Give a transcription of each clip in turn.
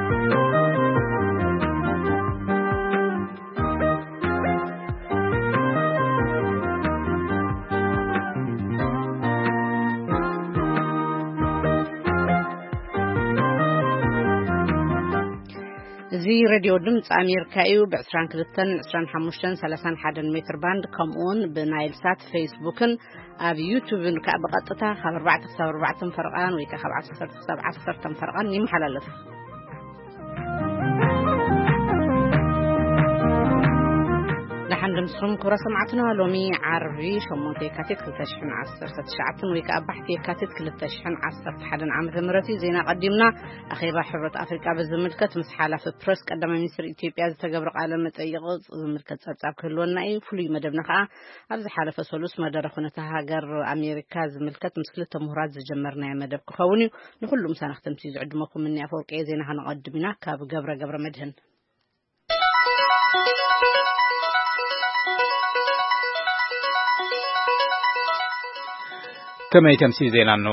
እዚ ሬድዮ ድምፂ ኣሜሪካ እዩ። ብ22፣ 25፣ 31 ሜትር ባንድ፣ ከምኡውን ብናይል ሳት፣ ፌስቡክን ኣብ ዩቱብን ከዓ ብቐጥታ ካብ ኣርባዕተ ክሳብ ኣርባዕተ ፈረቓን ወይ ከዓ ካብ ዓሰርተ ክሳብ ዓሰርተ ፈረቓን ይመሓላለፍ። ደሓን ድምስኹም ክብረ ሰማዕትና። ሎሚ ዓርቢ ሸሞንተ የካቲት ክልተ ሽሕን ዓሰርተ ትሽዓተን ወይ ከዓ ባሕቲ የካቲት ክልተ ሽሕን ዓሰርተ ሓደን ዓመተ ምህረት እዩ። ዜና ቀዲምና። ኣኼባ ሕብረት ኣፍሪቃ ብዝምልከት ምስ ሓላፊ ፕረስ ቀዳማይ ሚኒስትር ኢትዮጵያ ዝተገብረ ቃለ መጠይቕ ዝምልከት ጸብጻብ ክህልወና እዩ። ፍሉይ መደብና ከዓ ኣብ ዝሓለፈ ሰሉስ መደረ ኩነታ ሃገር ኣሜሪካ ዝምልከት ምስ ክልተ ምሁራት ዝጀመርናዮ መደብ ክኸውን እዩ። ንኹሉ ምሳና ክተምሲ ዝዕድመኩም እኒ ኣፈወርቂ እየ። ዜና ከነቐድም ኢና ካብ ገብረ ገብረ መድህን። ከመይ ተምሲ ዜና ኖ?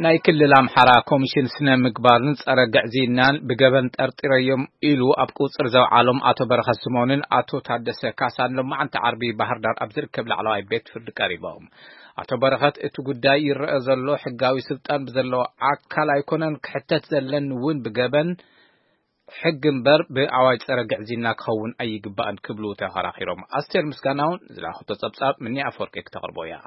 ናይ ክልል ኣምሓራ ኮሚሽን ስነ ምግባርን ጸረ ግዕዝይናን ብገበን ጠርጢረዮም ኢሉ ኣብ ቁጽር ዘውዓሎም ኣቶ በረኸት ስምኦንን ኣቶ ታደሰ ካሳን ሎማዓንቲ ዓርቢ ባህር ዳር ኣብ ዝርከብ ላዕለዋይ ቤት ፍርዲ ቀሪቦም። ኣቶ በረኸት እቲ ጉዳይ ይረአ ዘሎ ሕጋዊ ስልጣን ብዘለዎ ኣካል ኣይኮነን፣ ክሕተት ዘለኒ እውን ብገበን ሕጊ እምበር ብኣዋጅ ጸረ ግዕዝይና ክኸውን ኣይግባእን ክብሉ ተኸራኺሮም። ኣስቴር ምስጋናውን ዝላኹቶ ጸብጻብ ምኒ ኣፈወርቂ ክተቕርቦ እያ።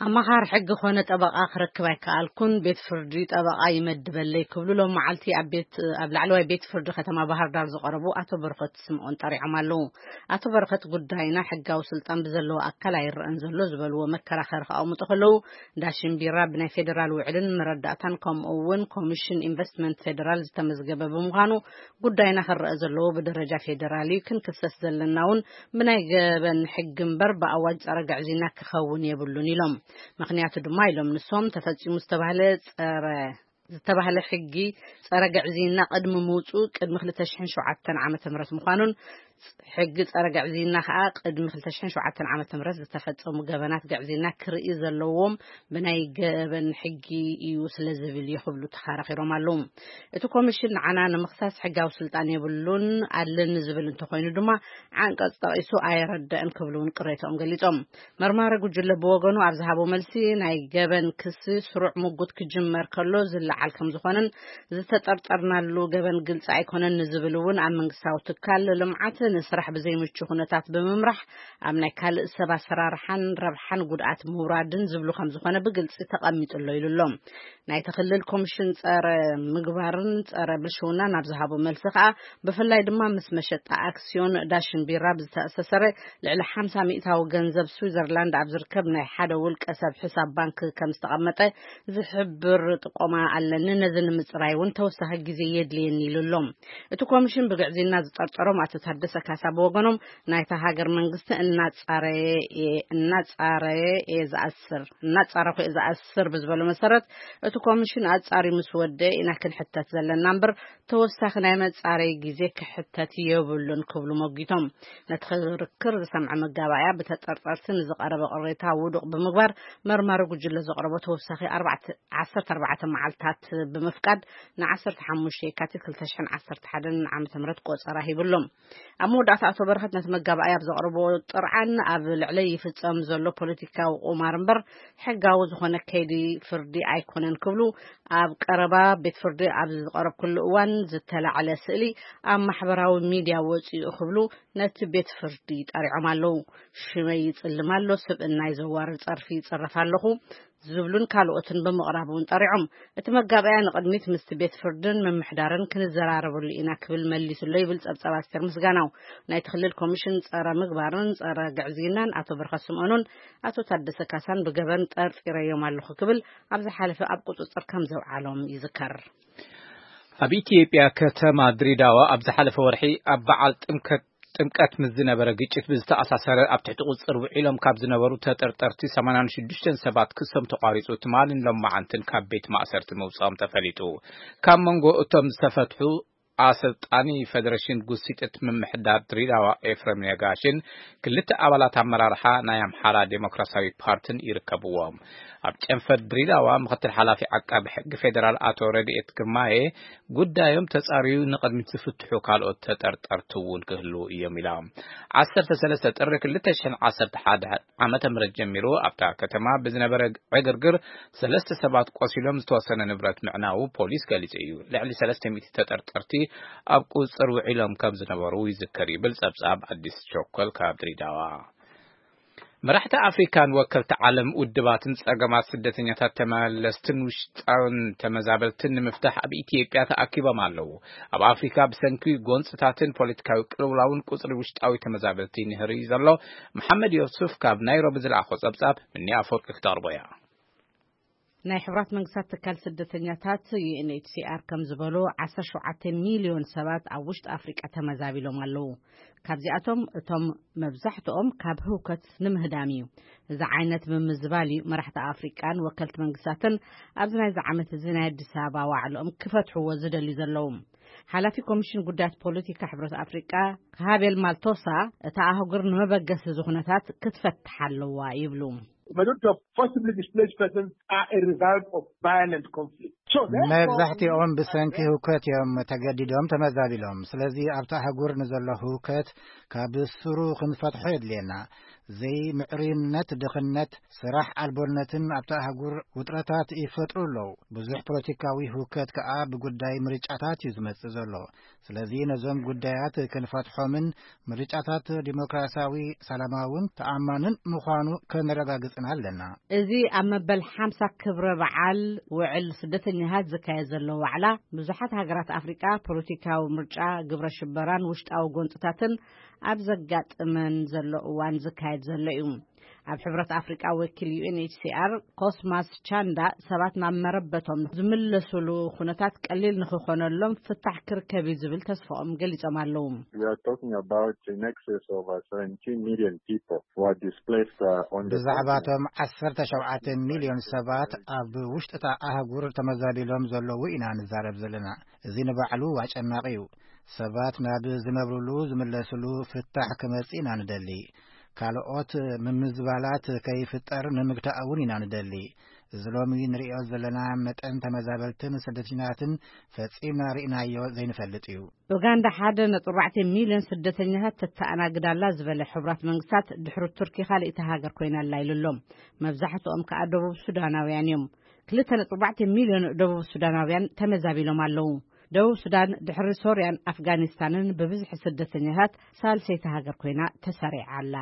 ኣማኻሪ ሕጊ ኮነ ጠበቓ ክረክብ ኣይከኣልኩን፣ ቤት ፍርዲ ጠበቓ ይመድበለይ ክብሉ ሎም መዓልቲ ኣብ ቤት፣ ኣብ ላዕለዋይ ቤት ፍርዲ ከተማ ባህር ዳር ዝቐረቡ ኣቶ በረኸት ስምኦን ጠሪዖም ኣለዉ። ኣቶ በረኸት ጉዳይና ሕጋዊ ስልጣን ብዘለዎ ኣካል ኣይረአን ዘሎ ዝበልዎ መከራኸሪ ከቐምጡ ከለዉ፣ ዳሽን ቢራ ብናይ ፌዴራል ውዕልን መረዳእታን ከምኡ እውን ኮሚሽን ኢንቨስትመንት ፌዴራል ዝተመዝገበ ብምዃኑ ጉዳይና ክረአ ዘለዎ ብደረጃ ፌዴራል እዩ። ክንክሰስ ዘለና እውን ብናይ ገበን ሕጊ እምበር ብኣዋጅ ጸረ ግዕዝይና ክኸውን የብሉን ኢሎም። ምኽንያቱ ድማ ኢሎም ንሶም ተፈጺሙ ዝተባህለ ጸረ ዝተባህለ ሕጊ ጸረ ግዕዝይና ቅድሚ ምውጽኡ ቅድሚ ክልተ ሽሕን ሸውዓተን ዓመተ ምህረት ምዃኑን ሕጊ ጸረ ግዕዝይና ከኣ ቅድሚ ክልተ ሽሕን ሸውዓተን ዓመተ ምህረት ዝተፈጸሙ ገበናት ግዕዝይና ክርኢ ዘለዎም ብናይ ገበን ሕጊ እዩ ስለ ዝብል እዩ ክብሉ ተኸራኺሮም ኣለዉ። እቲ ኮሚሽን ንዓና ንምኽሳስ ሕጋዊ ስልጣን የብሉን፣ ኣለኒ ዝብል እንተኾይኑ ድማ ዓንቀጽ ጠቒሱ ኣየረደእን ክብሉ እውን ቅሬታኦም ገሊጾም። መርማሪ ጉጅለ ብወገኑ ኣብ ዝሃቦ መልሲ ናይ ገበን ክሲ ስሩዕ ምጉት ክጅመር ከሎ ዝለዓል ከም ዝኾነን ዝተጠርጠርናሉ ገበን ግልጺ ኣይኮነን ንዝብል እውን ኣብ መንግስታዊ ትካል ልምዓት ንስራሕ ብዘይምቹ ኩነታት ብምምራሕ ኣብ ናይ ካልእ ሰብ ኣሰራርሓን ረብሓን ጉድኣት ምውራድን ዝብሉ ከም ዝኾነ ብግልጺ ተቐሚጡ ኣሎ ኢሉ ኣሎ። ናይቲ ክልል ኮሚሽን ጸረ ምግባርን ጸረ ብልሽውናን ኣብ ዝሃቦ መልሲ ከኣ ብፍላይ ድማ ምስ መሸጣ ኣክስዮን ዳሽን ቢራ ብዝተኣሳሰረ ልዕሊ ሓምሳ ሚእታዊ ገንዘብ ስዊዘርላንድ ኣብ ዝርከብ ናይ ሓደ ውልቀ ሰብ ሕሳብ ባንክ ከም ዝተቐመጠ ዝሕብር ጥቆማ ኣለኒ። ነዚ ንምጽራይ እውን ተወሳኺ ግዜ የድልየኒ ኢሉ ኣሎ። እቲ ኮሚሽን ብግዕዝይና ዝጠርጠሮም ኣቶ ታደሰ ካሳ ብወገኖም ናይታ ሃገር መንግስቲ እናጻረየ እየ፣ እናጻረየ እየ ዝኣስር፣ እናጻረኹ እየ ዝኣስር ብዝበሎ መሰረት እቲ ኮሚሽን ኣጻሪ ምስ ወደ ኢና ክንሕተት ዘለና እምበር ተወሳኺ ናይ መጻረይ ግዜ ክሕተት የብሉን ክብሉ ሞጊቶም። ነቲ ክርክር ዝሰምዐ መጋባእያ ብተጠርጠርቲ ንዝቐረበ ቅሬታ ውዱቕ ብምግባር መርማሪ ጉጅለ ዘቕረቦ ተወሳኺ ኣርባዕተ፣ ዓሰርተ ኣርባዕተ መዓልታት ብምፍቃድ ን ዓሰርተ ሓሙሽተ የካቲት ክልተ ሽሕን ዓሰርተ ሓደን ዓመተ ምህረት ቆጸራ ሂብሎም። ኣብ መወዳእታ ኣቶ በረኸት ነቲ መጋባእያ ኣብ ዘቕረቦ ጥርዓን ኣብ ልዕለይ ይፍጸም ዘሎ ፖለቲካዊ ቁማር እምበር ሕጋዊ ዝኾነ ከይዲ ፍርዲ ኣይኮነን ክብሉ ኣብ ቀረባ ቤት ፍርዲ ኣብ ዝቐረብኩሉ እዋን ዝተላዕለ ስእሊ ኣብ ማሕበራዊ ሚድያ ወፂኡ ክብሉ ነቲ ቤት ፍርዲ ጠሪዖም ኣለዉ። ሽመይ ይጽልም ኣሎ፣ ስብእናይ ዘዋርድ ጸርፊ ይጽረፍ ኣለኹ ዝብሉን ካልኦትን ብምቕራብ እውን ጠሪዖም። እቲ መጋባእያ ንቕድሚት ምስቲ ቤት ፍርድን ምምሕዳርን ክንዘራረበሉ ኢና ክብል መሊሱ ኣሎ ይብል ጸብጻብ ኣስቴር ምስጋናው። ናይቲ ክልል ኮሚሽን ጸረ ምግባርን ጸረ ግዕዝይናን ኣቶ በረኸት ስምኦንን ኣቶ ታደሰ ካሳን ብገበን ጠርጢረዮም ኣለኹ ክብል ኣብ ዝሓለፈ ኣብ ቁጽጽር ከም ዘውዓሎም ይዝከር። ኣብ ኢትዮጵያ ከተማ ድሬዳዋ ኣብ ዝሓለፈ ወርሒ ኣብ በዓል ጥምከት ጥምቀት ምስ ዝነበረ ግጭት ብዝተኣሳሰረ ኣብ ትሕቲ ቁጽጽር ውዒሎም ካብ ዝነበሩ ተጠርጠርቲ ሰማንያን ሽዱሽተን ሰባት ክሶም ተቋሪጹ ትማልን ሎማዓንትን ካብ ቤት ማእሰርቲ ምውጽኦም ተፈሊጡ። ካብ መንጎ እቶም ዝተፈትሑ ኣሰልጣኒ ፈደረሽን ጉሲጥት ምምሕዳር ድሪዳዋ ኤፍረም ነጋሽን ክልተ ኣባላት ኣመራርሓ ናይ ኣምሓራ ዴሞክራሲያዊ ፓርትን ይርከብዎም። ኣብ ጨንፈር ድሪዳዋ ምክትል ሓላፊ ዓቃቢ ሕጊ ፌደራል ኣቶ ረድኤት ግርማዬ ጉዳዮም ተጻርዩ ንቕድሚት ዝፍትሑ ካልኦት ተጠርጠርቲ እውን ክህልዉ እዮም ኢላ። ዓሰርተ ሰለስተ ጥሪ ክልተ ሽሕን ዓሰርተ ሓደ ዓመተ ምህረት ጀሚሩ ኣብታ ከተማ ብዝነበረ ዕግርግር ሰለስተ ሰባት ቆሲሎም ዝተወሰነ ንብረት ምዕናዉ ፖሊስ ገሊጹ እዩ። ልዕሊ ሰለስተ ሚእቲ ተጠርጠርቲ ኣብ ቁጽጽር ውዒሎም ከም ዝነበሩ ይዝከር ይብል ጸብጻብ ኣዲስ ቸኮል ካብ ድሪዳዋ። መራሕቲ ኣፍሪካን ወከልቲ ዓለም ውድባትን ጸገማት ስደተኛታት ተመለስትን ውሽጣውን ተመዛበልትን ንምፍታሕ ኣብ ኢትዮጵያ ተኣኪቦም ኣለዉ። ኣብ ኣፍሪካ ብሰንኪ ጎንጽታትን ፖለቲካዊ ቅልውላውን ቁጽሪ ውሽጣዊ ተመዛበልቲ ንህሪ ዘሎ። መሓመድ ዮሱፍ ካብ ናይሮቢ ዝለኣኾ ጸብጻብ ምኒ ኣፈወርቂ ክተቕርቦ እያ። ናይ ሕቡራት መንግስታት ትካል ስደተኛታት ዩ ኤን ኤች ሲ ኣር ከም ዝበሎ ዓሰርተ ሸውዓተ ሚልዮን ሰባት ኣብ ውሽጢ ኣፍሪቃ ተመዛቢሎም ኣለዉ። ካብዚኣቶም እቶም መብዛሕትኦም ካብ ህውከት ንምህዳም እዩ። እዚ ዓይነት ምምዝባል እዩ መራሕቲ ኣፍሪቃን ወከልቲ መንግስታትን ኣብዚ ናይዚ ዓመት እዚ ናይ ኣዲስ ኣበባ ዋዕለኦም ክፈትሕዎ ዝደልዩ ዘለዉ። ሓላፊ ኮሚሽን ጉዳያት ፖለቲካ ሕብረት ኣፍሪቃ ካሃቤል ማልቶሳ፣ እታ ኣህጉር ንመበገሲ እዚ ኩነታት ክትፈትሕ ኣለዋ ይብሉ። Majority of forcibly displaced persons are a result of violent conflict. So therefore, መብዛሕትኦም ብሰንኪ ህውከት እዮም ተገዲዶም ተመዛቢሎም። ስለዚ ኣብታ ኣህጉር ንዘሎ ህውከት ካብ ስሩ ክንፈትሖ የድልየና። ዘይምዕሩይነት፣ ድኽነት፣ ስራሕ ኣልቦነትን ኣብታ ኣህጉር ውጥረታት ይፈጥሩ ኣለዉ። ብዙሕ ፖለቲካዊ ህውከት ከኣ ብጉዳይ ምርጫታት እዩ ዝመጽእ ዘሎ። ስለዚ ነዞም ጉዳያት ክንፈትሖምን ምርጫታት ዲሞክራሲያዊ፣ ሰላማውን ተኣማንን ምዃኑ ከነረጋግጽን ኣለና። እዚ ኣብ መበል ሓምሳ ክብረ በዓል ውዕል ስደተኛታት ዝካየድ ዘሎ ዋዕላ ብዙሓት ሃገራት ኣፍሪቃ ፖለቲካዊ ምርጫ፣ ግብረ ሽበራን ውሽጣዊ ጎንጽታትን ኣብ ዘጋጥመን ዘሎ እዋን ዝካየድ ዘሎ እዩ። ኣብ ሕብረት ኣፍሪቃ ወኪል ዩ ኤን ኤች ሲ ኣር ኮስማስ ቻንዳ ሰባት ናብ መረበቶም ዝምለሱሉ ኩነታት ቀሊል ንክኾነሎም ፍታሕ ክርከብ እዩ ዝብል ተስፋኦም ገሊጾም ኣለዉ። We are talking about in excess of uh, seventeen million people who are displaced uh, on the ብዛዕባቶም ዓሰርተ ሸውዓተ ሚልዮን ሰባት ኣብ ውሽጥታ ኣህጉር ተመዛቢሎም ዘለዉ ኢና ንዛረብ ዘለና። እዚ ንባዕሉ ኣጨናቂ እዩ። ሰባት ናብ ዝነብሩሉ ዝምለስሉ ፍታሕ ክመጽእ ኢና ንደሊ። ካልኦት ምምዝባላት ከይፍጠር ንምግታእ እውን ኢና ንደሊ። እዚ ሎሚ ንርእዮ ዘለና መጠን ተመዛበልትን ስደተኛታትን ፈጺምና ርኢናዮ ዘይንፈልጥ እዩ። ኡጋንዳ ሓደ ነጥቢ ኣርባዕተ ሚልዮን ስደተኛታት ተተኣናግድ ኣላ ዝበለ ሕቡራት መንግስታት ድሕሪ ቱርኪ ካልእቲ ሃገር ኮይና ኣላ ኢሉ ኣሎ። መብዛሕትኦም ከኣ ደቡብ ሱዳናውያን እዮም። ክልተ ነጥቢ ኣርባዕተ ሚልዮን ደቡብ ሱዳናውያን ተመዛቢሎም ኣለዉ። ደቡብ ሱዳን ድሕሪ ሶርያን ኣፍጋኒስታንን ብብዝሒ ስደተኛታት ሳልሰይቲ ሃገር ኮይና ተሰሪዓ ኣላ።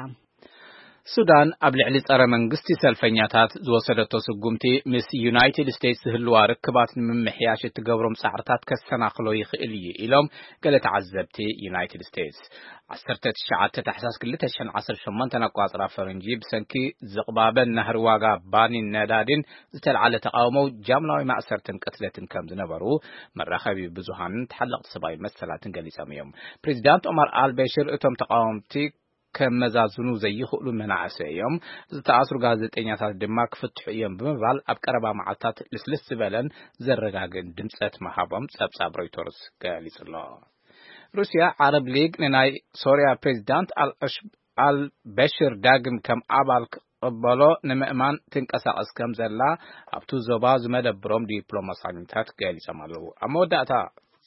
ሱዳን ኣብ ልዕሊ ጸረ መንግስቲ ሰልፈኛታት ዝወሰደቶ ስጉምቲ ምስ ዩናይትድ ስቴትስ ዝህልዋ ርክባት ንምምሕያሽ እትገብሮም ጻዕርታት ከሰናኽሎ ይኽእል እዩ ኢሎም ገለ ተዓዘብቲ ዩናይትድ ስቴትስ። ዓሰርተ ትሽዓተ ታሕሳስ ክልተ ሽሕን ዓሰርተ ሸሞንተን ኣቋጽራ ፈረንጂ ብሰንኪ ዝቕባበን ናህሪ ዋጋ ባኒን ነዳዲን ዝተልዓለ ተቓውሞ ጃምላዊ ማእሰርትን ቅትለትን ከም ዝነበሩ መራኸቢ ብዙሃንን ተሓለቕቲ ሰብኣዊ መሰላትን ገሊጾም እዮም። ፕሬዚዳንት ኦማር ኣልበሽር እቶም ተቓወምቲ ከመዛዝኑ ዘይኽእሉ መናእሰይ እዮም፣ ዝተኣስሩ ጋዜጠኛታት ድማ ክፍትሑ እዮም ብምባል ኣብ ቀረባ መዓልታት ልስልስ ዝበለን ዘረጋግእን ድምጸት ምሃቦም ጸብጻብ ሮይተርስ ገሊጹ ኣሎ። ሩስያ ዓረብ ሊግ ንናይ ሶርያ ፕሬዚዳንት ኣልበሽር ዳግም ከም ኣባል ክቕበሎ ንምእማን ትንቀሳቐስ ከም ዘላ ኣብቱ ዞባ ዝመደብሮም ዲፕሎማሳኛታት ገሊጾም ኣለዉ። ኣብ መወዳእታ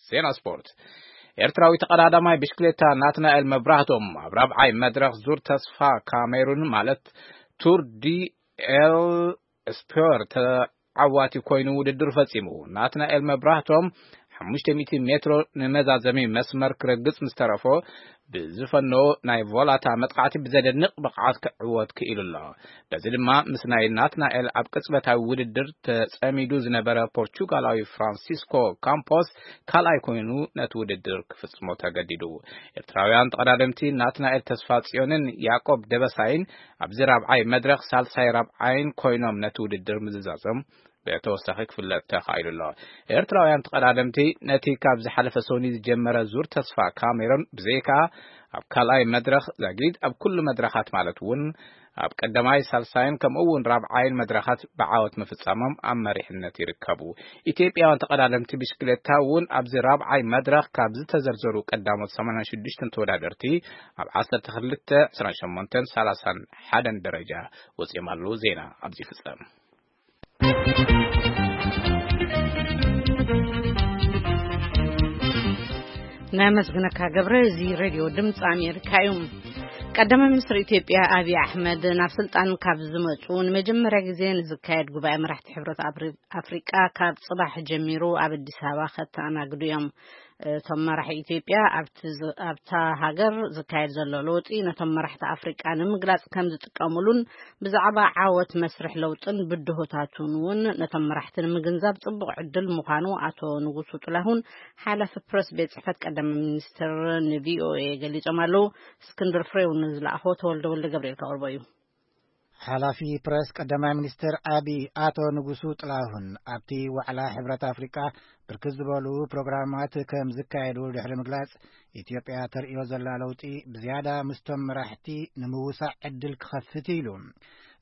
ዜና ስፖርት። ኤርትራዊ ተቐዳዳማይ ብሽክሌታ ናትናኤል መብራህቶም ኣብ ራብዓይ መድረኽ ዙር ተስፋ ካሜሩን ማለት ቱር ዲ ኤል ስፖር ተዓዋቲ ኮይኑ ውድድር ፈጺሙ። ናትናኤል መብራህቶም ሓሙሽተ ሚእቲ ሜትሮ ንመዛዘሚ መስመር ክረግጽ ምስ ተረፎ ብዝፈነዎ ናይ ቮላታ መጥቃዕቲ ብዘደንቕ ብቕዓት ክዕወት ክኢሉ ኣሎ። በዚ ድማ ምስ ናይ ናትናኤል ኣብ ቅጽበታዊ ውድድር ተጸሚዱ ዝነበረ ፖርቹጋላዊ ፍራንሲስኮ ካምፖስ ካልኣይ ኮይኑ ነቲ ውድድር ክፍጽሞ ተገዲዱ። ኤርትራውያን ተቐዳደምቲ ናትናኤል ተስፋጽዮንን ያቆብ ደበሳይን ኣብዚ ራብዓይ መድረኽ ሳልሳይ ራብዓይን ኮይኖም ነቲ ውድድር ምዝዛዞም ብተወሳኺ ክፍለጥ ተኻኢሉ ኣሎ። ኤርትራውያን ተቐዳደምቲ ነቲ ካብ ዝሓለፈ ሰኒ ዝጀመረ ዙር ተስፋ ካሜሮን ብዘይካ ኣብ ካልኣይ መድረኽ ዛጊድ ኣብ ኩሉ መድረኻት ማለት እውን ኣብ ቀዳማይ፣ ሳልሳይን ከምኡ እውን ራብዓይን መድረኻት ብዓወት ምፍጻሞም ኣብ መሪሕነት ይርከቡ። ኢትዮጵያውያን ተቐዳደምቲ ብሽክሌታ እውን ኣብዚ ራብዓይ መድረኽ ካብ ዝተዘርዘሩ ቀዳሞት ሰማንያን ሽዱሽተን ተወዳደርቲ ኣብ ዓሰርተ ክልተ፣ ዕስራን ሸሞንተን፣ ሰላሳን ሓደን ደረጃ ወጺኦም ኣለዉ። ዜና ኣብዚ ይፍጸም። ናይ መስግነካ ገብረ፣ እዚ ሬድዮ ድምፂ ኣሜሪካ እዩ። ቀዳማይ ሚኒስትር ኢትዮጵያ ኣብይ ኣሕመድ ናብ ስልጣን ካብ ዝመፁ ንመጀመርያ ግዜ ንዝካየድ ጉባኤ መራሕቲ ሕብረት ኣፍሪ- ኣፍሪቃ ካብ ፅባሕ ጀሚሩ ኣብ ኣዲስ ኣበባ ከተኣናግዱ እዮም። እቶም መራሒ ኢትዮጵያ ኣብቲ ዝ- ኣብታ ሃገር ዝካየድ ዘሎ ለውጢ ነቶም መራሕቲ ኣፍሪቃ ንምግላፅ ከም ዝጥቀሙሉን ብዛዕባ ዓወት መስርሕ ለውጥን ብድሆታቱን እውን ነቶም መራሕቲ ንምግንዛብ ጽቡቕ ዕድል ምዃኑ ኣቶ ንጉሱ ጥላሁን ሓላፊ ፕረስ ቤት ጽሕፈት ቀዳማይ ሚኒስትር ንቪኦኤ ገሊጾም ኣለዉ። እስክንድር ፍሬው ንዝለኣኾ ተወልደ ወልደ ገብርኤል ከቕርቦ እዩ። ሓላፊ ፕረስ ቀዳማይ ሚኒስትር ኣቢ ኣቶ ንጉሱ ጥላሁን ኣብቲ ዋዕላ ሕብረት ኣፍሪቃ ብርክት ዝበሉ ፕሮግራማት ከም ዝካየዱ ድሕሪ ምግላጽ፣ ኢትዮጵያ ተርእዮ ዘላ ለውጢ ብዝያዳ ምስቶም መራሕቲ ንምውሳእ ዕድል ክኸፍት ኢሉ።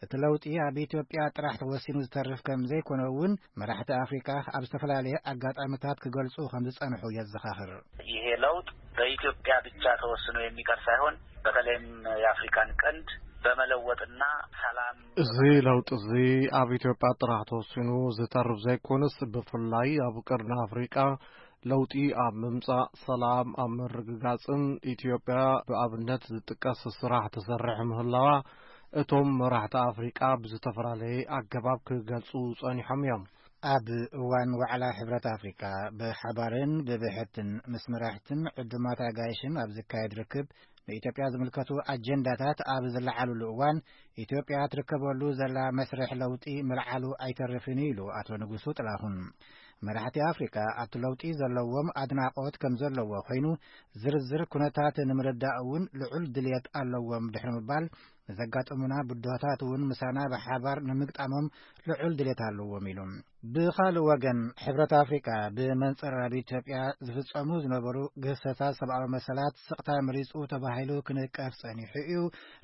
እቲ ለውጢ ኣብ ኢትዮጵያ ጥራሕ ተወሲኑ ዝተርፍ ከም ዘይኮነ እውን መራሕቲ ኣፍሪካ ኣብ ዝተፈላለየ ኣጋጣሚታት ክገልጹ ከም ዝጸንሑ የዘኻኽር። ይሄ ለውጥ በኢትዮጵያ ብቻ ተወስኖ የሚቀር ሳይሆን በተለይም የአፍሪካን ቀንድ በመለወጥና ሰላም እዚ ለውጢ እዚ ኣብ ኢትዮጵያ ጥራሕ ተወሲኑ ዝተርፍ ዘይኮነስ ብፍላይ ኣብ ቀርኒ ኣፍሪቃ ለውጢ ኣብ ምምጻእ፣ ሰላም ኣብ ምርግጋጽን ኢትዮጵያ ብኣብነት ዝጥቀስ ስራሕ ትሰርሕ ምህላዋ እቶም መራሕቲ ኣፍሪቃ ብዝተፈላለየ ኣገባብ ክገልጹ ጸኒሖም እዮም። ኣብ እዋን ዋዕላ ሕብረት ኣፍሪቃ ብሓባርን ብብሕትን ምስ መራሕትን ዕዱማት ኣጋይሽን ኣብ ዝካየድ ርክብ ንኢትዮጵያ ዝምልከቱ ኣጀንዳታት ኣብ ዝለዓሉሉ እዋን ኢትዮጵያ ትርከበሉ ዘላ መስርሕ ለውጢ ምልዓሉ ኣይተርፍን ኢሉ ኣቶ ንጉሱ ጥላሁን። መራሕቲ ኣፍሪካ ኣብቲ ለውጢ ዘለዎም ኣድናቆት ከም ዘለዎ ኮይኑ ዝርዝር ኩነታት ንምርዳእ እውን ልዑል ድልየት ኣለዎም ድሕሪ ምባል ንዘጋጥሙና ብድሆታት እውን ምሳና ብሓባር ንምግጣሞም ልዑል ድልየት ኣለዎም ኢሉ። ብኻልእ ወገን ሕብረት ኣፍሪካ ብመንፅር ኣብ ኢትዮጵያ ዝፍፀሙ ዝነበሩ ግህሰታት ሰብኣዊ መሰላት ስቕታ መሪፁ ተባሂሉ ክንቀፍ ፀኒሑ እዩ።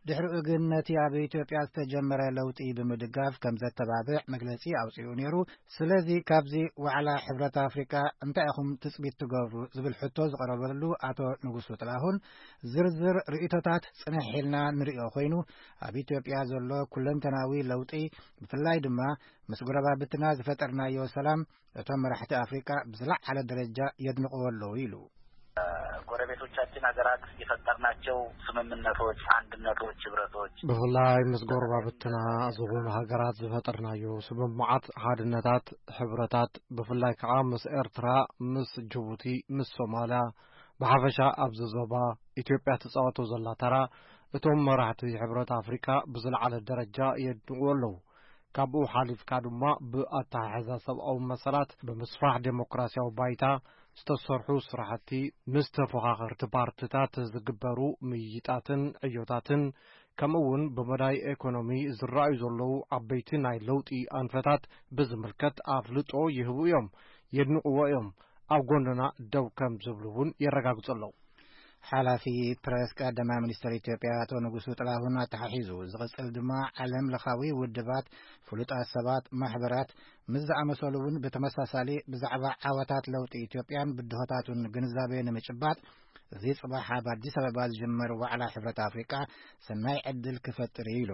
ድሕሪኡ ግን ነቲ ኣብ ኢትዮጵያ ዝተጀመረ ለውጢ ብምድጋፍ ከም ዘተባብዕ መግለፂ ኣውፂኡ ነይሩ። ስለዚ ካብዚ ዋዕላ ሕብረት ኣፍሪካ እንታይ ኢኹም ትፅቢት ትገብሩ ዝብል ሕቶ ዝቐረበሉ ኣቶ ንጉሱ ጥላሁን ዝርዝር ርእይቶታት ፅንሕ ኢልና ንሪኦ ኮይኑ ኣብ ኢትዮጵያ ዘሎ ኩለንተናዊ ለውጢ ብፍላይ ድማ ምስ ጎረባብትና ዝፈጠርናዮ ሰላም እቶም መራሕቲ ኣፍሪካ ብዝለዓለ ደረጃ የድንቕዎ ኣለዉ ኢሉ። ጎረቤቶቻችን ሀገራት የፈጠርናቸው ስምምነቶች፣ አንድነቶች፣ ህብረቶች ብፍላይ ምስ ጎረባብትና ዝኾኑ ሃገራት ዝፈጠርናዮ ስምምዓት፣ ሓድነታት፣ ሕብረታት ብፍላይ ከዓ ምስ ኤርትራ፣ ምስ ጅቡቲ፣ ምስ ሶማልያ፣ ብሓፈሻ ኣብዚ ዞባ ኢትዮጵያ ትፃወቶ ዘላ ተራ እቶም መራሕቲ ሕብረት ኣፍሪካ ብዝለዓለ ደረጃ የድንቕዎ ኣለዉ። ካብኡ ሓሊፍካ ድማ ብኣተሓሕዛ ሰብኣዊ መሰላት፣ ብምስፋሕ ዴሞክራሲያዊ ባይታ ዝተሰርሑ ስራሕቲ፣ ምስ ተፎኻኸርቲ ፓርትታት ዝግበሩ ምይይጣትን ዕዮታትን፣ ከምኡ እውን ብመዳይ ኤኮኖሚ ዝረኣዩ ዘለዉ ዓበይቲ ናይ ለውጢ ኣንፈታት ብዝምልከት ኣፍልጦ ይህቡ እዮም፣ የድንቕዎ እዮም፣ ኣብ ጎንና ደው ከም ዝብሉ እውን የረጋግጹ ኣለዉ። ሓላፊ ፕረስ ቀዳማይ ሚኒስትር ኢትዮጵያ ኣቶ ንጉሱ ጥላሁን ኣተሓሒዙ ዝቕጽል ድማ ዓለም ለኻዊ ውድባት፣ ፍሉጣት ሰባት፣ ማሕበራት ምስ ዝኣመሰሉ እውን ብተመሳሳሊ ብዛዕባ ዓወታት ለውጢ ኢትዮጵያን ብድሆታቱን ግንዛቤ ንምጭባጥ እዚ ጽባሕ ኣብ ኣዲስ ኣበባ ዝጅመር ዋዕላ ሕብረት ኣፍሪቃ ሰናይ ዕድል ክፈጥር እዩ ኢሉ።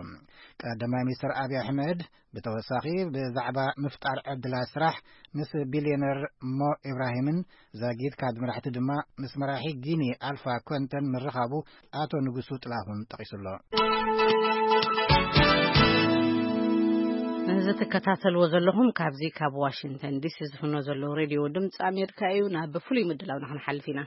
ቀዳማይ ሚኒስትር ኣብይ ኣሕመድ ብተወሳኺ ብዛዕባ ምፍጣር ዕድላት ስራሕ ምስ ቢልዮነር ሞ ኢብራሂምን ዛጊድ ካብ መራሕቲ ድማ ምስ መራሒ ጊኒ ኣልፋ ኮንተን ምርኻቡ ኣቶ ንጉሱ ጥላሁን ጠቒሱ ኣሎ። እዚ ትከታተልዎ ዘለኹም ካብዚ ካብ ዋሽንግተን ዲሲ ዝፍኖ ዘለዉ ሬድዮ ድምፂ ኣሜሪካ እዩ። ናብ ፍሉይ ምድላው ንክንሓልፍ ኢና።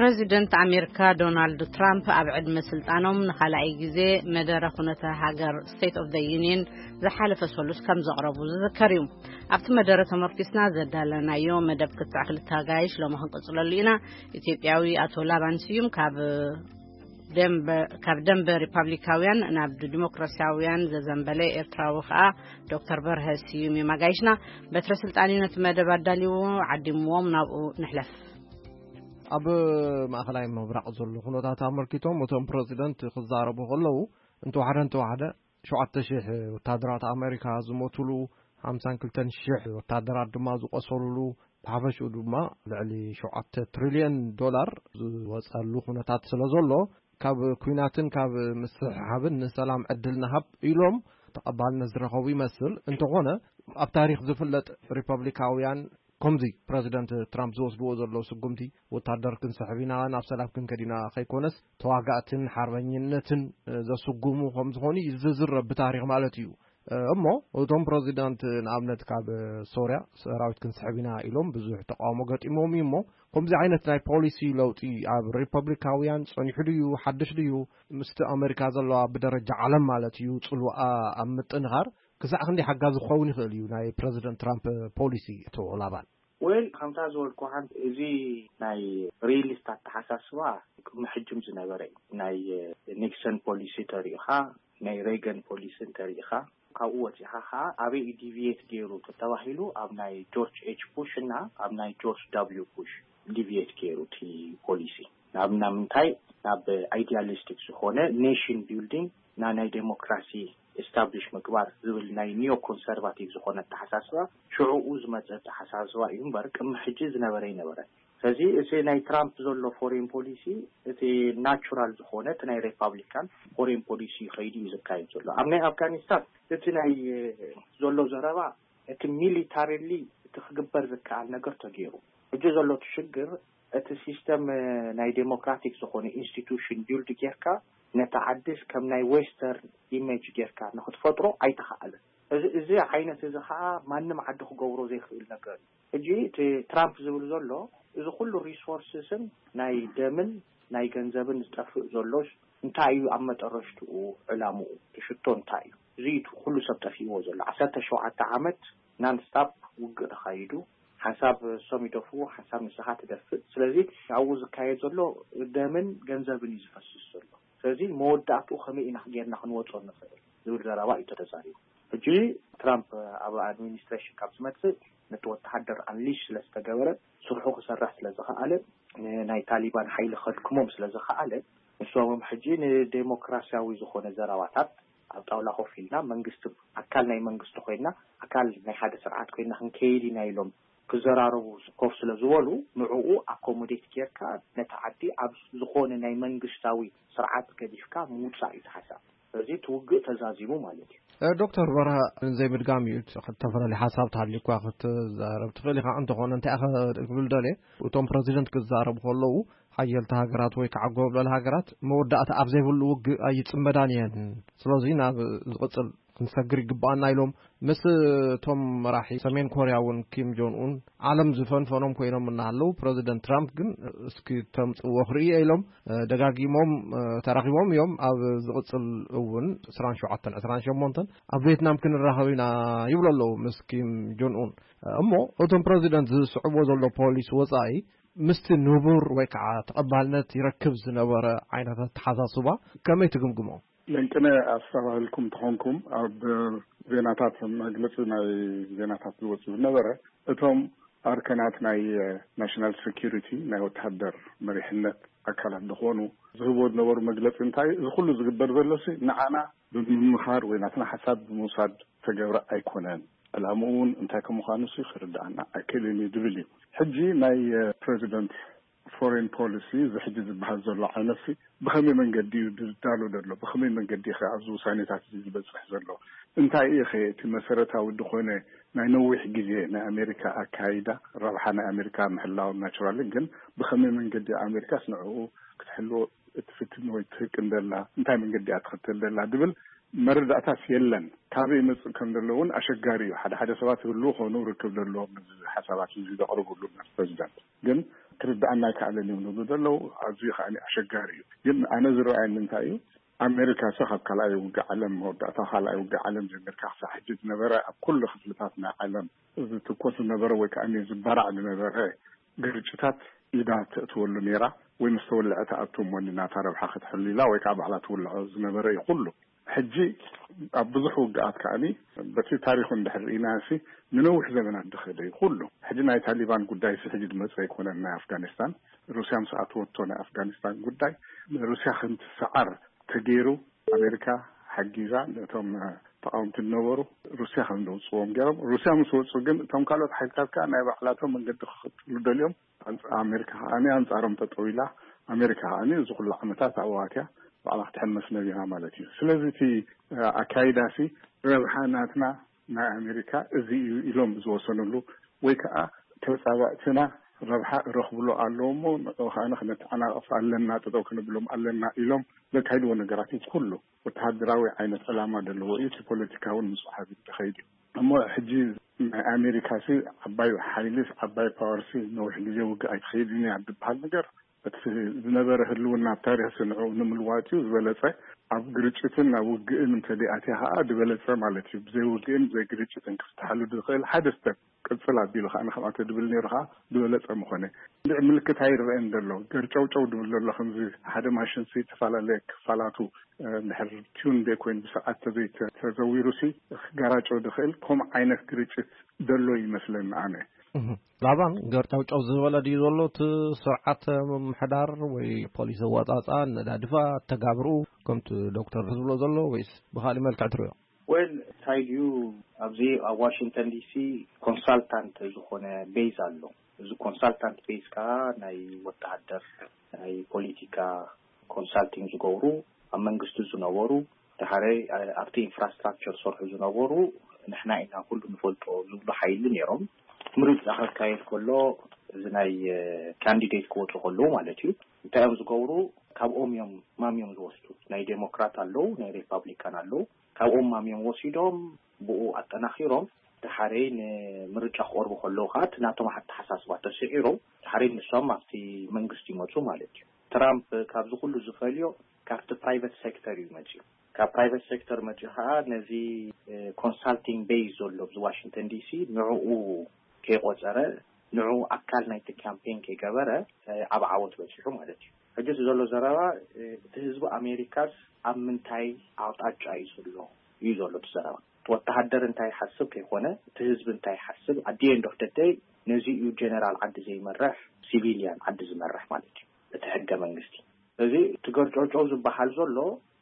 ፕረዚደንት ኣሜሪካ ዶናልድ ትራምፕ ኣብ ዕድመ ስልጣኖም ንኻልኣይ ግዜ መደረ ኩነተ ሃገር ስቴት ኦፍ ዘ ዩኒየን ዝሓለፈ ሰሉስ ከም ዘቕረቡ ዝዝከር እዩ። ኣብቲ መደረ ተመርኪስና ዘዳለናዮ መደብ ክትዕ ክልተ ኣጋይሽ ሎሚ ክንቅጽለሉ ኢና። ኢትዮጵያዊ ኣቶ ላባን ስዩም ካብ ደንበ ካብ ደንበ ሪፓብሊካውያን ናብ ዲሞክራሲያውያን ዘዘንበለ ኤርትራዊ ከኣ ዶክተር በርሀ ስዩም እዮም ኣጋይሽና። በትረ ስልጣን እዩ ነቲ መደብ ኣዳልዎ ዓዲምዎም፣ ናብኡ ንሕለፍ። ኣብ ማእኸላይ ምብራቕ ዘሎ ኩነታት ኣመልኪቶም እቶም ፕረዚደንት ክዛረቡ ከለዉ፣ እንተወሓደ እንተወሓደ ሸውዓተ ሽሕ ወታደራት ኣሜሪካ ዝሞቱሉ፣ ሓምሳን ክልተን ሽሕ ወታደራት ድማ ዝቆሰሉሉ፣ ብሓፈሽኡ ድማ ልዕሊ ሸውዓተ ትሪልዮን ዶላር ዝወፀሉ ኩነታት ስለ ዘሎ፣ ካብ ኩናትን ካብ ምስሕሓብን ንሰላም ዕድል ንሃብ ኢሎም ተቐባልነት ዝረኸቡ ይመስል። እንተኾነ፣ ኣብ ታሪኽ ዝፍለጥ ሪፐብሊካውያን ከምዚ ፕረዚደንት ትራምፕ ዝወስድዎ ዘለዉ ስጉምቲ፣ ወታደር ክንስሕብ ኢና፣ ናብ ሰላም ክንከድ ኢና ከይኮነስ፣ ተዋጋእትን ሓርበኝነትን ዘስጉሙ ከም ዝኾኑ እዩ ዝዝረብ ብታሪኽ ማለት እዩ። እሞ እቶም ፕረዚዳንት ንኣብነት ካብ ሶርያ ሰራዊት ክንስሕብ ኢና ኢሎም ብዙሕ ተቃውሞ ገጢሞም እዩ። እሞ ከምዚ ዓይነት ናይ ፖሊሲ ለውጢ ኣብ ሪፐብሊካውያን ጸኒሑ ድዩ፣ ሓድሽ ድዩ? ምስቲ ኣሜሪካ ዘለዋ ብደረጃ ዓለም ማለት እዩ ጽልዋኣ ኣብ ምጥንኻር ክሳዕ ክንደይ ሓጋዚ ክኸውን ይኽእል እዩ ናይ ፕረዚደንት ትራምፕ ፖሊሲ? እቶ ላባን። ወል ከምታ ዝበልኩ ሓንቲ፣ እዚ ናይ ሪሊስት ኣተሓሳስባ ቅድሚ ሕጅም ዝነበረ እዩ። ናይ ኒክሰን ፖሊሲ ተሪኢኻ፣ ናይ ሬገን ፖሊሲ እንተሪኢኻ፣ ካብኡ ወፂኻ ከዓ ኣበይ እዩ ዲቪየት ገይሩ ተተባሂሉ፣ ኣብ ናይ ጆርጅ ኤች ቡሽ እና ኣብ ናይ ጆርጅ ዳብሊው ቡሽ ዲቪየት ገይሩ እቲ ፖሊሲ። ናብ ናብ ምንታይ? ናብ ኣይዲያሊስቲክ ዝኾነ ኔሽን ቢልዲንግ፣ ና ናይ ዴሞክራሲ ኤስታብሊሽ ምግባር ዝብል ናይ ኒዮ ኮንሰርቫቲቭ ዝኾነ ኣተሓሳስባ ሽዕኡ ዝመፀ ኣተሓሳስባ እዩ እምበር ቅድሚ ሕጂ ዝነበረ ኣይነበረን። ስለዚ እቲ ናይ ትራምፕ ዘሎ ፎሬን ፖሊሲ እቲ ናቹራል ዝኾነ እቲ ናይ ሪፓብሊካን ፎሬን ፖሊሲ ከይዱ እዩ ዝካየድ ዘሎ። ኣብ ናይ ኣፍጋኒስታን እቲ ናይ ዘሎ ዘረባ እቲ ሚሊታሪሊ እቲ ክግበር ዝከኣል ነገር ተገይሩ። ሕጂ ዘሎ እቲ ሽግር እቲ ሲስተም ናይ ዴሞክራቲክ ዝኾነ ኢንስቲቱሽን ቢልድ ጌርካ ነቲ ዓድስ ከም ናይ ዌስተርን ኢሜጅ ጌርካ ንክትፈጥሮ ኣይተኸኣለን። እዚ እዚ ዓይነት እዚ ከዓ ማንም ዓዲ ክገብሮ ዘይክእል ነገር እዩ። ሕጂ እቲ ትራምፕ ዝብል ዘሎ እዚ ኩሉ ሪሶርስስን ናይ ደምን ናይ ገንዘብን ዝጠፍእ ዘሎስ እንታይ እዩ ኣብ መጠረሽትኡ ዕላምኡ? እቲ ሽቶ እንታይ እዩ? እዚ እዩ እቲ ኩሉ ሰብ ጠፊእዎ ዘሎ። ዓሰርተ ሸውዓተ ዓመት ናንስታፕ ውግእ ተኻይዱ፣ ሓንሳብ እሶም ይደፍኡ፣ ሓንሳብ ንስኻ ትደፍእ። ስለዚ ኣብኡ ዝካየድ ዘሎ ደምን ገንዘብን እዩ ዝፈስስ ዘሎ። ስለዚ መወዳእትኡ ከመይ ኢና ጌርና ክንወጾ ንኽእል ዝብል ዘረባ እዩ ተዛሪቡ። ሕጂ ትራምፕ ኣብ ኣድሚኒስትሬሽን ካብ ዝመጽእ ነቲ ወተሃደር ኣንሊሽ ስለ ዝተገበረ፣ ስርሑ ክሰርሕ ስለ ዝኸኣለ፣ ንናይ ታሊባን ሓይሊ ከድክሞም ስለ ዝኸኣለ፣ ንሶም ሕጂ ንዴሞክራሲያዊ ዝኾነ ዘረባታት ኣብ ጣውላ ኮፍ ኢልና መንግስቲ ኣካል ናይ መንግስቲ ኮይና ኣካል ናይ ሓደ ስርዓት ኮይና ክንከይድ ኢና ኢሎም ክዘራረቡ ኮፍ ስለ ዝበሉ ንዕኡ ኣኮሞዴት ጌርካ ነቲ ዓዲ ኣብ ዝኾነ ናይ መንግስታዊ ስርዓት ገዲፍካ ምውፃእ እዩ እቲ ሓሳብ። ስለዚ እቲ ውግእ ተዛዚሙ ማለት እዩ። ዶክተር በርሀ ዘይምድጋም እዩ። ዝተፈላለዩ ሓሳብ ተሃልዩኳ ክትዛረብ ትኽእል ኢኻ። እንተኾነ እንታይ ኢኻ ክብል ደልየ፣ እቶም ፕረዚደንት ክዛረቡ ከለዉ ሓየልቲ ሃገራት ወይ ከዓ ጎብለል ሃገራት መወዳእታ ኣብ ዘይብሉ ውግእ ኣይፅመዳን እየን። ስለዚ ናብ ዝቕፅል ክንሰግር ይግባኣና ኢሎም ምስ እቶም መራሒ ሰሜን ኮርያ እውን ኪም ጆን ኡን ዓለም ዝፈንፈኖም ኮይኖም እናሃለዉ ፕረዚደንት ትራምፕ ግን እስኪ ተምፅእዎ ክርኢ ኢሎም ደጋጊሞም ተራኺቦም እዮም። ኣብ ዝቕፅል እውን ዕስራን ሸውዓተን ዕስራን ሸሞንተን ኣብ ቬትናም ክንራኸብ ኢና ይብሉ ኣለዉ ምስ ኪም ጆን ኡን። እሞ እቶም ፕረዚደንት ዝስዕብዎ ዘሎ ፖሊሲ ወፃኢ ምስቲ ንቡር ወይ ከዓ ተቐባልነት ይረክብ ዝነበረ ዓይነት ኣተሓሳስባ ከመይ ትግምግሞ? ለንቅነ ኣስተባህልኩም ተኾንኩም ኣብ ዜናታት መግለፂ ናይ ዜናታት ዝወፁ ዝነበረ እቶም ኣርከናት ናይ ናሽናል ሴኪሪቲ ናይ ወተሃደር መሪሕነት ኣካላት ዝኾኑ ዝህብዎ ዝነበሩ መግለፂ እንታይ እዚ ኩሉ ዝግበር ዘሎሲ ንዓና ብምምኻር ወይ ናትና ሓሳብ ብምውሳድ ተገብረ ኣይኮነን። ዕላምኡ እውን እንታይ ከም ምዃኑ ሲ ክርድኣና ኣይክእልን እዩ ዝብል እዩ። ሕጂ ናይ ፕሬዚደንት ፎሬን ፖሊሲ እዚ ሕጂ ዝበሃል ዘሎ ዓይነት ሲ ብኸመይ መንገዲ እዩ ዝዳሎ ዘሎ? ብኸመይ መንገዲ ኸ ኣብዚ ውሳኔታት እዚ ዝበፅሕ ዘሎ? እንታይ እዩ ኸ እቲ መሰረታዊ ዝኾነ ናይ ነዊሕ ግዜ ናይ ኣሜሪካ ኣካይዳ ረብሓ ናይ ኣሜሪካ ምሕላው ናቹራሊ ግን ብኸመይ መንገዲ ኣሜሪካስ ንዕኡ ክትሕልዎ እትፍትን ወይ ትህቅን ዘላ እንታይ መንገዲ እያ ትኽተል ዘላ ዝብል መረዳእታስ የለን። ካበይ ይመጽእ ከም ዘሎ እውን ኣሸጋሪ እዩ። ሓደ ሓደ ሰባት ህልው ኾኑ ርክብ ዘለዎም ነዚ ሓሳባት እዚ ዘቕርብሉ ምስ ፕሬዚዳንት ግን ክርዳእና ኣይከኣለን እዮም ዝብሉ ዘለዉ። ኣዝዩ ከኣ ኣሸጋሪ እዩ። ግን ኣነ ዝረኣየኒ እንታይ እዩ፣ ኣሜሪካ ሲ ካብ ካልኣይ ውግእ ዓለም፣ መወዳእታ ካልኣይ ውግእ ዓለም ጀሚርካ ክሳብ ሕጂ ዝነበረ ኣብ ኩሉ ክፍልታት ናይ ዓለም ዝትኮስ ዝነበረ ወይ ከዓ ዝበራዕ ዝነበረ ግርጭታት ኢዳ ተእትወሉ ነይራ፣ ወይ ምስ ተወልዐ ተኣቱ እሞ ናታ ረብሓ ክትሕሉ ኢላ ወይ ከዓ ባዕላ ትውልዖ ዝነበረ እዩ ኩሉ። ሕጂ ኣብ ብዙሕ ውግኣት ከዓኒ በቲ ታሪኹ እንድሕር ርኢና ሲ ንነዊሕ ዘመናት ዝኸደ እዩ ኩሉ። ሕጂ ናይ ታሊባን ጉዳይ ሲ ሕጂ ዝመፀ ኣይኮነን። ናይ ኣፍጋኒስታን ሩስያ ምስ ኣትወቶ ናይ ኣፍጋኒስታን ጉዳይ ሩስያ ከምትሰዓር ተገይሩ ኣሜሪካ ሓጊዛ ነቶም ተቃወምቲ ዝነበሩ ሩስያ ከም ዘውፅዎም ገይሮም። ሩስያ ምስ ወፁ ግን እቶም ካልኦት ሓይልታት ከዓ ናይ ባዕላቶም መንገዲ ክኽትሉ ደልዮም። ኣንፃ-፣ ኣሜሪካ ከዓኒ ኣንፃሮም ጠጠው ኢላ። ኣሜሪካ ከዓኒ እዚ ኩሉ ዓመታት ኣብዋትያ ባዕላ ክትሕመስ ነቢራ ማለት እዩ። ስለዚ እቲ ኣካይዳሲ ረብሓ ናትና ናይ ኣሜሪካ እዚ እዩ ኢሎም ዝወሰኑሉ ወይ ከዓ ተፃባእትና ረብሓ ረኽብሉ ኣለዎ እሞ ንዑ ከዓኒ ክነተዓናቐፍ ኣለና፣ ጠጠው ክንብሎም ኣለና ኢሎም ዘካይድዎ ነገራት እዩ። ኩሉ ወተሃደራዊ ዓይነት ዕላማ ዘለዎ እዩ። እቲ ፖለቲካ እውን ምስ ወሓቢ ዝኸይድ እዩ። እሞ ሕጂ ናይ ኣሜሪካ ሲ ዓባይ ሓይሊ ዓባይ ፓወር ሲ ነዊሕ ግዜ ውግእ ኣይትኸይድን እያ ዝበሃል ነገር እቲ ዝነበረ ህልውና ኣብ ታሪኽ ሲ ንዕኡ ንምልዋጥ እዩ ዝበለጸ። ኣብ ግርጭትን ኣብ ውግእን እንተደኣ ኣትያ ከዓ ዝበለጸ ማለት እዩ። ብዘይ ውግእን ብዘይ ግርጭትን ክፍትሓሉ ዝኽእል ሓደ ስተፕ ቅጽል ኣቢሉ ከዓ ንከምኣተ ድብል ነይሩ ከዓ ዝበለጸ ምኾነ። እንድዒ ምልክት ኣይረአን ዘሎ። ገርጨውጨው ድብል ዘሎ ከምዚ ሓደ ማሽን ሲ ዝተፈላለየ ክፋላቱ እንድሕር ቲዩን ዘይኮይኑ ብስርዓት ተዘይተዘዊሩ ሲ ክጋራጨው ዝኽእል ከምኡ ዓይነት ግርጭት ዘሎ ይመስለኒ ኣነ። እህ። ላባን ገርጨውጨው ዝበለ ድዩ ዘሎ እቲ ስርዓት ምምሕዳር ወይ ፖሊሲ ኣወፃፃ፣ ነዳድፋ፣ ተጋብርኡ ከምቲ ዶክተር ዝብሎ ዘሎ ወይስ ብኻሊእ መልክዕ ትሪኦ? ወል እንታይ ድዩ ኣብዚ ኣብ ዋሽንግተን ዲሲ ኮንሳልታንት ዝኾነ ቤዝ ኣሎ። እዚ ኮንሳልታንት ቤዝ ከዓ ናይ ወተሃደር፣ ናይ ፖለቲካ ኮንሳልቲንግ ዝገብሩ፣ ኣብ መንግስቲ ዝነበሩ፣ ድሓረይ ኣብቲ ኢንፍራስትራክቸር ዝሰርሑ ዝነበሩ ንሕና ኢና ኩሉ ንፈልጦ ዝብሉ ሓይሊ ነይሮም። ምርጫ ክካየድ ከሎ እዚ ናይ ካንዲዴት ክወፁ ከለዉ ማለት እዩ እንታይ እዮም ዝገብሩ? ካብኦም እዮም ማም እዮም ዝወስዱ። ናይ ዴሞክራት ኣለዉ፣ ናይ ሪፓብሊካን ኣለዉ። ካብኦም ማም እዮም ወሲዶም ብኡ ኣጠናኺሮም ድሓረይ ንምርጫ ክቐርቡ ከለዉ ከዓ እቲ ናቶም ኣተሓሳስባ ተስዒሮም ድሓረይ ንሶም ኣብቲ መንግስቲ ይመፁ ማለት እዩ። ትራምፕ ካብዚ ኩሉ ዝፈልዮ ካብቲ ፕራይቨት ሴክተር እዩ መፅዩ። ካብ ፕራይቨት ሴክተር መፅዩ ከዓ ነዚ ኮንሳልቲንግ ቤዝ ዘሎ ኣብዚ ዋሽንግተን ዲሲ ንዕኡ ከይቆፀረ ንዕኡ ኣካል ናይቲ ካምፔን ከይገበረ ኣብ ዓወት በፂሑ ማለት እዩ። ሕጂ እቲ ዘሎ ዘረባ እቲ ህዝቢ ኣሜሪካስ ኣብ ምንታይ ኣቕጣጫ እዩ ዘሎ እዩ ዘሎ እቲ ዘረባ። ወተሃደር እንታይ ይሓስብ ከይኮነ እቲ ህዝቢ እንታይ ይሓስብ ኣት ኤንድ ኦፍ ደይ ነዚ እዩ ጀነራል ዓዲ ዘይመርሕ ሲቪሊያን ዓዲ ዝመርሕ ማለት እዩ። እቲ ሕገ መንግስቲ እዚ እቲ ገርጨውጨው ዝበሃል ዘሎ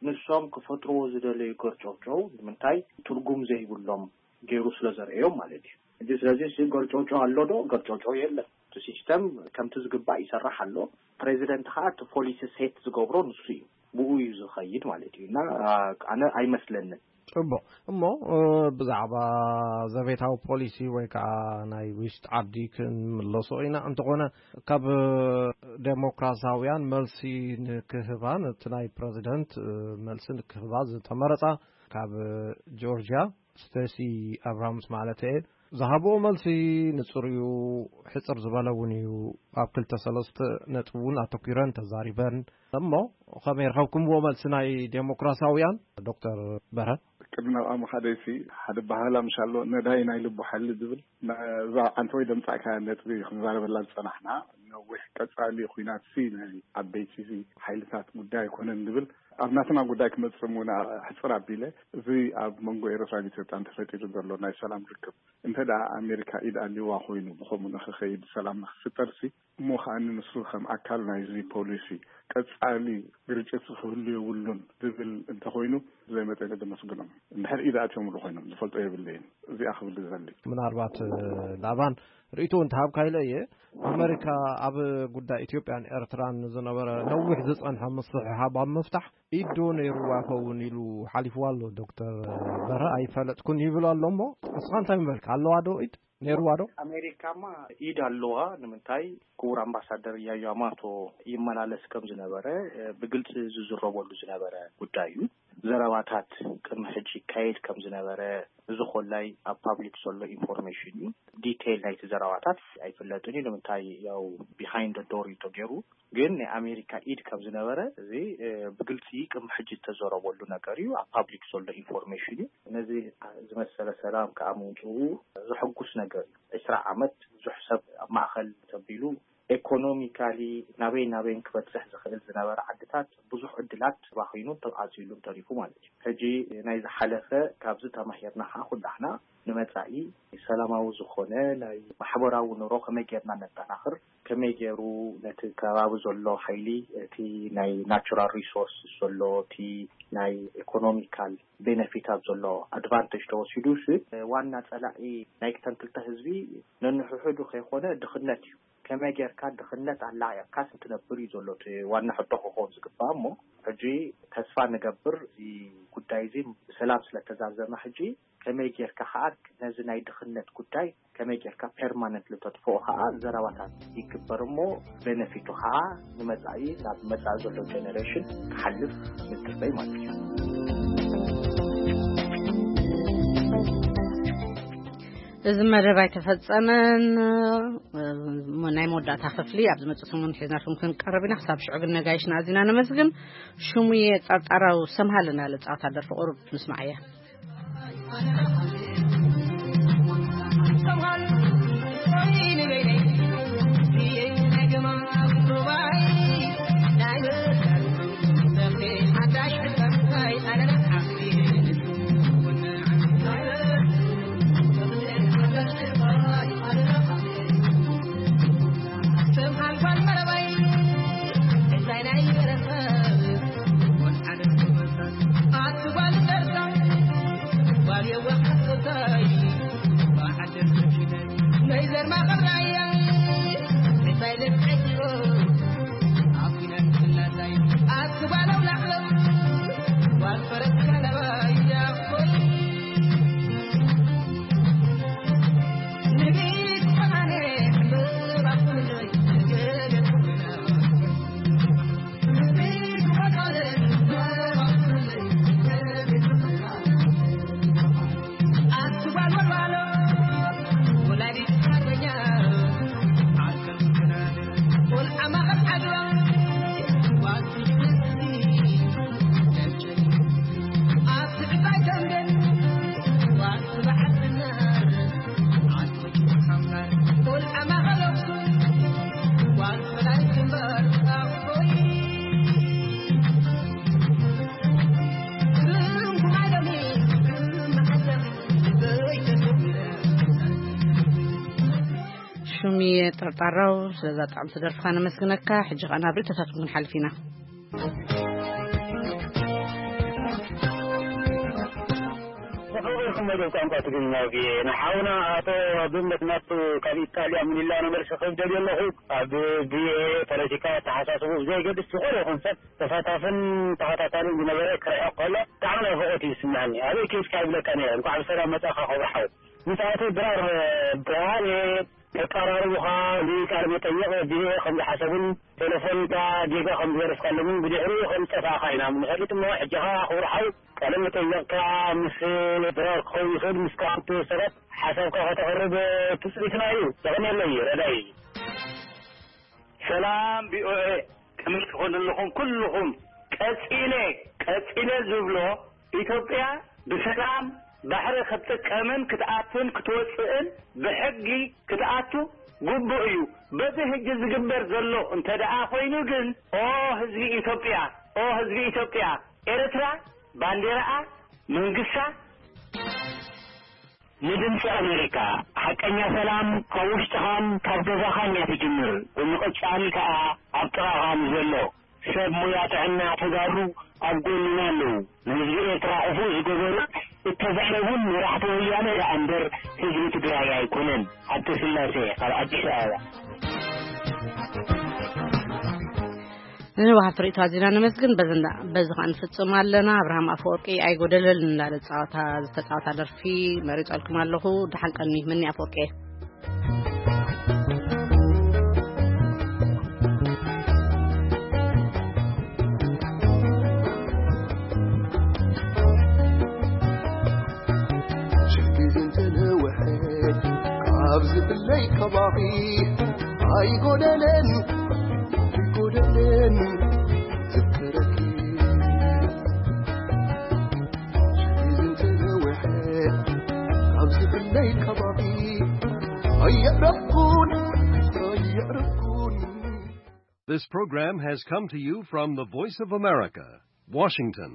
ንሶም ክፈጥርዎ ዝደለዩ ገርጨውጨው ንምንታይ ትርጉም ዘይብሎም ገይሩ ስለ ዘርእዮም ማለት እዩ። ሕጂ ስለዚ እዚ ገርጨውጨው ኣሎ ዶ? ገርጨውጨው የለን። እቲ ሲስተም ከምቲ ዝግባእ ይሰርሕ ኣሎ። ፕሬዚደንት ከዓ እቲ ፖሊሲ ሴት ዝገብሮ ንሱ እዩ። ብኡ እዩ ዝኸይድ ማለት እዩ። እና ኣነ ኣይመስለንን። ጽቡቕ። እሞ ብዛዕባ ዘቤታዊ ፖሊሲ ወይ ከዓ ናይ ውሽጢ ዓዲ ክንምለሶ ኢና። እንተኾነ ካብ ዴሞክራሳውያን መልሲ ንክህባ ነቲ ናይ ፕረዚደንት መልሲ ንክህባ ዝተመረጻ ካብ ጆርጅያ ስቴሲ ኣብራምስ ማለት እየ። ዝሃብኦ መልሲ ንጹር እዩ፣ ሕጽር ዝበለ እውን እዩ። ኣብ ክልተ ሰለስተ ነጥቢ እውን ኣተኲረን ተዛሪበን። እሞ ከመይ ረኸብኩምዎ መልሲ ናይ ዴሞክራሲያውያን ዶክተር በረ? ቅድሚ ናብኣ ምኻደይሲ ሓደ ባህላ ምሻሎ ነዳይ ናይ ልቡ ሓሊ ዝብል እዛ ዓንተ ወይ ደምጻእካ ነጥቢ ክንዛረበላ ዝጸናሕና ነዊሕ ቀጻሊ ኲናት ሲ ናይ ዓበይቲ ሓይልታት ጉዳይ ኣይኮነን ዝብል ኣብ ናትና ጉዳይ ክመጽእ እውን ሕጽር ኣቢለ እዚ ኣብ መንጎ ኤርትራን ኢትዮጵያን ተፈጢሩ ዘሎ ናይ ሰላም ርክብ እንተ ደኣ ኣሜሪካ ኢድ ኣልዋ ኮይኑ ብኸምኡ ንኽኸይድ ሰላም ንኽፍጠር ሲ እሞ ከኣ ንሱ ከም ኣካል ናይዚ ፖሊሲ ቀጻሊ ግርጭት ክህሉ የብሉን ዝብል እንተኾይኑ ብዘይመጠኒ ደመስግኖም። እንድሕር ኢድ ኣትዮምሉ ኮይኖም ዝፈልጦ የብለይን። እዚኣ ክብል ዝደሊ። ምናልባት ላባን ርእይቶ እንተሃብካ ኢለ እየ። ኣመሪካ ኣብ ጉዳይ ኢትዮጵያን ኤርትራን ዝነበረ ነዊሕ ዝጸንሐ ምስሕሓብ ኣብ ምፍታሕ ኢድ ዶ ነይርዋ ይኸውን ኢሉ ሓሊፍዋ ኣሎ ዶክተር በረ። ኣይፈለጥኩን ይብል ኣሎ። እሞ ንስኻ እንታይ ምበልካ? ኣለዋ ዶ ኢድ? ነይርዋ ዶ? ኣሜሪካማ ኢድ ኣለዋ። ንምንታይ? ክቡር ኣምባሳደር ያማቶ ይመላለስ ከም ዝነበረ ብግልፂ ዝዝረበሉ ዝነበረ ጉዳይ እዩ። ዘረባታት ቅድሚ ሕጂ ይካየድ ከም ዝነበረ፣ እዚ ኮላይ ኣብ ፓብሊክ ዘሎ ኢንፎርሜሽን እዩ። ዲቴይል ናይቲ ዘረባታት ኣይፍለጥን እዩ። ንምንታይ? ያው ቢሃይንድ ዶር እዩ ተገይሩ። ግን ናይ ኣሜሪካ ኢድ ከም ዝነበረ እዚ ብግልፂ ቅድሚ ሕጂ ዝተዘረበሉ ነገር እዩ። ኣብ ፓብሊክ ዘሎ ኢንፎርሜሽን እዩ። ነዚ ዝመሰለ ሰላም ከዓ ምምፅኡ ዘሐጉስ ነገር እዩ። ዕስራ ዓመት ብዙሕ ሰብ ኣብ ማእኸል ተቢሉ፣ ኤኮኖሚካሊ ናበይ ናበይን ክበፅሕ ዝኽእል ዝነበረ ዓድታት ብዙሕ ዕድላት ተባኺኑን ተዓፅዩሉን ተሪፉ ማለት እዩ። ሕጂ ናይ ዝሓለፈ ካብዚ ተማሂርና ከዓ ኩላሕና ንመፃኢ ሰላማዊ ዝኾነ ናይ ማሕበራዊ ኑሮ ከመይ ጌርና ነጠናኽር፣ ከመይ ገይሩ ነቲ ከባቢ ዘሎ ሓይሊ፣ እቲ ናይ ናቹራል ሪሶርስ ዘሎ፣ እቲ ናይ ኢኮኖሚካል ቤነፊታት ዘሎ ኣድቫንቴጅ ተወሲዱ ሲ ዋና ፀላኢ ናይ ክተን ክልተ ህዝቢ ነንሕሕዱ ከይኮነ ድኽነት እዩ። ከመይ ጌርካ ድኽነት ኣላዕልካስ እንትነብር እዩ ዘሎ እቲ ዋና ሕቶ ክኸውን ዝግባእ። እሞ ሕጂ ተስፋ ንገብር እዚ ጉዳይ እዚ ብሰላም ስለተዛዘመ ሕጂ ከመይ ጌርካ ከዓ ነዚ ናይ ድኽነት ጉዳይ ከመይ ጌርካ ፐርማነንት ልተጥፍኦ ከዓ ዘረባታት ይግበር እሞ ቤነፊቱ ከዓ ንመፃኢ ናብ መፃኢ ዘሎ ጀነሬሽን ክሓልፍ ምትበይ ማለት እዩ። እዚ መደብ ኣይተፈጸመን። እሞ ናይ መወዳእታ ክፍሊ ኣብ ዝመጽእ ሰሙን ሒዝናልኩም ክንቀርብ ኢና። ክሳብ ሽዑ ግን ነጋይሽና ኣዚና ነመስግን። ሽሙየ ጸርጣራው ሰምሃልና ለጻወታ ደርፊ ቁሩብ ምስማዓያ። ሽሙየ ጠርጣራው ስለዛ ጣዕምቲ ደርፍኻ ነመስግነካ። ሕጂ ኸዓ ናብ ርእይቶታትኩም ክንሓልፍ ኢና። ብሕቑቕ ኢኹም መደብ ቋንቋ ትግርኛ ቪኦኤ። ንሓውና ኣቶ ኣብነት ናቱ ካብ ኢጣልያ ሚላኖ መልሲ ክህብ ደልየ ኣለኹ። ኣብ ቪኦኤ ፖለቲካ ኣተሓሳስብኡ ብዘየገድስ ዝኾነ ይኹን ሰብ ተሳታፍን ተኸታታልን ዝነበረ ክርሕቕ ከሎ ብጣዕሚ ናፍቖት እዩ ዝስምዐኒ። ኣበይ ከይድካ ይብለካ ነይረ። እንኳዕ ብሰላም መጻእካ ክቡር ሓው። ምስ ኣቶ ድራር ብርሃነ ተቀራርቡኻ ንቃለ መጠይቕ ቪኦኤ ከም ዝሓሰቡን ቴሌፎንካ ጌጋ ከም ዝገደፍካሎምን ብድሕሪኡ ከም ዝጠፋእካ ኢና ንፈልጥ እሞ፣ ሕጂ ኸኣ ክቡር ሓው ቃለ መጠይቕካ ምስ ድራር ክኸውን ይኽእል፣ ምስ ካልኦት ሰባት ሓሳብካ ከተቕርብ ትጽቢትና እዩ። የቐንየለይ ረዳኢ። ሰላም ቪኦኤ፣ ከመይ ትኾኑ ኣለኹም ኩልኹም? ቀጺለ ቀጺለ ዝብሎ ኢትዮጵያ ብሰላም ባሕሪ ክትጥቀምን ክትኣቱን ክትወፅእን ብሕጊ ክትኣቱ ግቡእ እዩ። በዚ ሕጂ ዝግበር ዘሎ እንተ ደኣ ኮይኑ ግን ኦ ህዝቢ ኢትዮጵያ፣ ኦ ህዝቢ ኢትዮጵያ፣ ኤርትራ ባንዴራኣ መንግስታ ንድምፂ ኣሜሪካ፣ ሓቀኛ ሰላም ካብ ውሽጥኻን ካብ ገዛኻን እያ ትጅምር። ብምቕጻል ከኣ ኣብ ጥቓኻ ንዘሎ ሰብ ሞያ ጥዕና ተጋሩ ኣብ ጎንና ኣለዉ። ንህዝቢ ኤርትራ ክፉእ ዝገበሩ እተዛረቡን መራሕቲ ወያነ ደኣ እምበር ህዝቢ ትግራይ ኣይኮነን። ሃብተስላሴ ካብ ኣዲስ ኣበባ። ንወሃብቲ ርእይቶ ኣዚና ነመስግን። በዚ እንዳ-፣ በዚ ኸኣ ንፍጽም ኣለና። ኣብርሃም ኣፈወርቂ ኣይጎደለልን እንዳለ ጸዋታ፣ ዝተጻወታ ደርፊ መሪጸልኩም ኣለኹ። ደሓን ቀኒ፣ ምኒ ኣፈወርቂ። ኣብዚ ብለይ ከባቢ ኣይጎደለን ኣይጎደለን ዝክረኪ ዝንተነውሐ ኣብዚ ብለይ ከባቢ ኣየዕረፍኩን ኣየዕረፍኩን This program has come to you from the Voice of America, Washington.